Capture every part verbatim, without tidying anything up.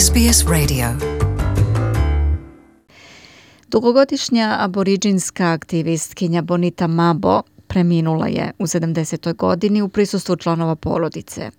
S B S Radio. Dugogodišnja aboriđinska aktivistkinja Bonita Mabo preminula je u sedamdesetoj godini u prisustvu članova porodice.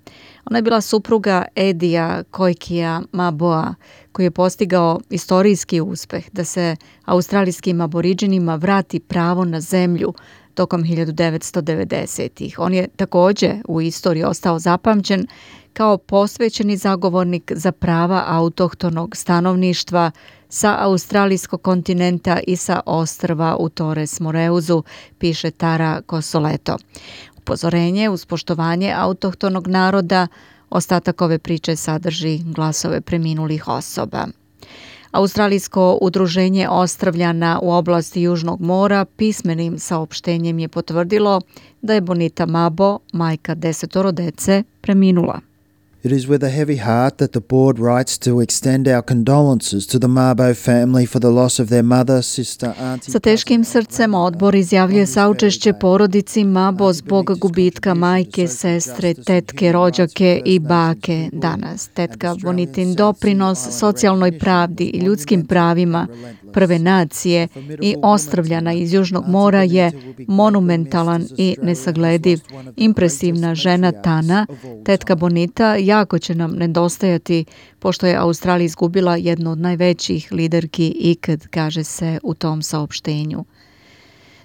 Ona je bila supruga Edija Koikija Maboa, koji je postigao istorijski uspeh da se australijskim aboriđinima vrati pravo na zemlju tokom hiljadu devetsto devedesetih. On je također u istoriji ostao zapamćen kao posvećeni zagovornik za prava autohtonog stanovništva sa australijskog kontinenta i sa ostrva u Torres Moreuzu, piše Tara Kosoleto. Upozorenje uz poštovanje autohtonog naroda, ostatak ove priče sadrži glasove preminulih osoba. Australijsko udruženje Ostrvljana u oblasti Južnog mora pismenim saopštenjem je potvrdilo da je Bonita Mabo, majka desetoro dece, preminula. It is with a heavy heart that the board writes to extend our condolences to the Mabo family for the loss of their mother, sister, auntie. Sa teškim srcem odbor izjavljuje saučešće porodici Mabo zbog gubitka majke, sestre, tetke, rođake i bake danas. Tetka Bonitin doprinos socijalnoj pravdi i ljudskim pravima prve nacije i Ostrvljana iz Južnog mora je monumentalan i nesaglediv. Impresivna žena Tana, tetka Bonita, jako će nam nedostajati pošto je Australija izgubila jednu od najvećih liderki ikad, kaže se u tom saopštenju.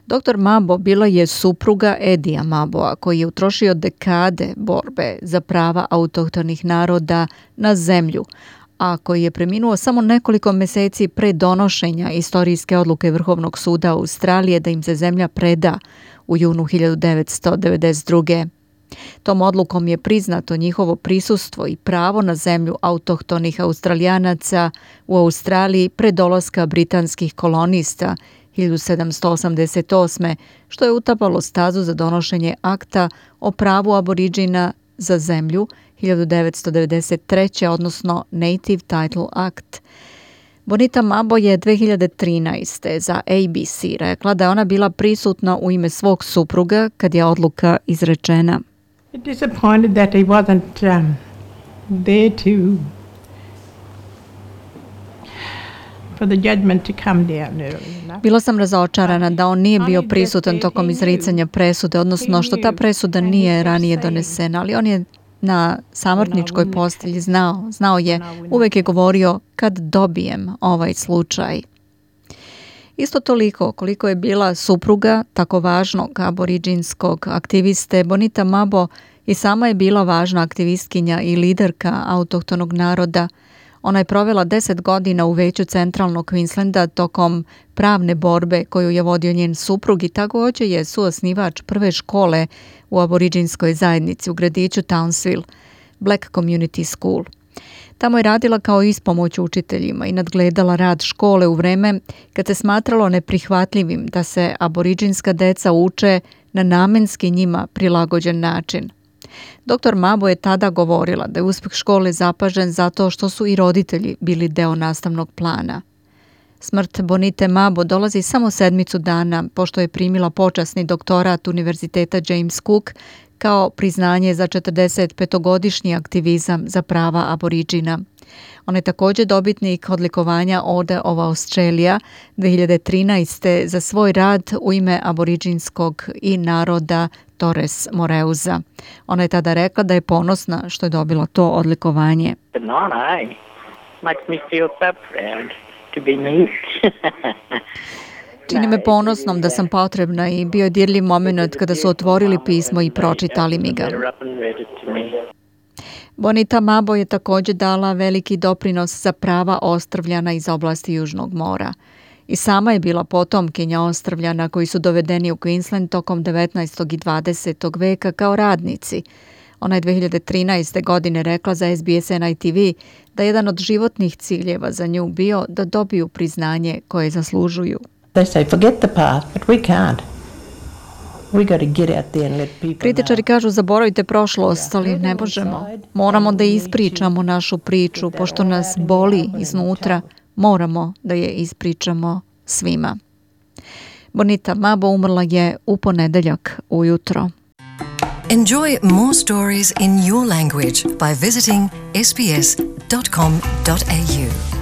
Doktor Mabo bila je supruga Edija Maboa, koji je utrošio dekade borbe za prava autohtonih naroda na zemlju, a koji je preminuo samo nekoliko mjeseci pre donošenja istorijske odluke Vrhovnog suda Australije da im se zemlja preda u junu hiljadu devetsto devedeset druge. Tom odlukom je priznato njihovo prisustvo i pravo na zemlju autohtonih Australijanaca u Australiji pre dolaska britanskih kolonista hiljadu sedamsto osamdeset osme, što je utapalo stazu za donošenje akta o pravu aboriđina za zemlju hiljadu devetsto devedeset treće. odnosno Native Title Act. Bonita Mabo je dve hiljade trinaeste. za A B C rekla da je ona bila prisutna u ime svog supruga kad je odluka izrečena. Disappointed that he wasn't um, there to for the judgment to come down early enough. Bila sam razočarana da on nije bio prisutan tokom izricanja presude, odnosno što ta presuda nije ranije donesena, ali on je na samrtničkoj postelji znao, znao je, uvek je govorio kad dobijem ovaj slučaj. Isto toliko koliko je bila supruga tako važnog aboriđinskog aktiviste, Bonita Mabo i sama je bila važna aktivistkinja i liderka autohtonog naroda. Ona je provela deset godina u veću centralnog Queenslanda tokom pravne borbe koju je vodio njen suprug i također je suosnivač prve škole u aboriđinskoj zajednici u gradiću Townsville, Black Community School. Tamo je radila kao ispomoć učiteljima i nadgledala rad škole u vreme kad se smatralo neprihvatljivim da se aboriđinska deca uče na namenski njima prilagođen način. Doktor Mabo je tada govorila da je uspeh škole zapažen zato što su i roditelji bili deo nastavnog plana. Smrt Bonite Mabo dolazi samo sedmicu dana pošto je primila počasni doktorat Univerziteta James Cook kao priznanje za četrdesetpetogodišnji aktivizam za prava aboriđina. On je također dobitnik odlikovanja Order of Australia dve hiljade trinaeste. za svoj rad u ime aboriđinskog i naroda Torres Moreuza. Ona je tada rekla da je ponosna što je dobila to odlikovanje. Čini me ponosnom da sam potrebna i bio je dirljiv moment kada su otvorili pismo i pročitali mi ga. Bonita Mabo je također dala veliki doprinos za prava Ostrvljana iz oblasti Južnog mora. I sama je bila potomkinja Ostrvljana koji su dovedeni u Queensland tokom devetnaestog i dvadesetog veka kao radnici. Ona je dve hiljade trinaeste. godine rekla za S B S N I T V da je jedan od životnih ciljeva za nju bio da dobiju priznanje koje zaslužuju. They say forget the past, but we can't. We got to get out there and let people know. Kritičari kažu zaboravite prošlost, ali ne možemo. Moramo da ispričamo našu priču, pošto nas boli iznutra. Moramo da je ispričamo svima. Bonita Mabo umrla je u ponedeljak ujutro. Enjoy more stories in your language by visiting s b s dot com dot a u.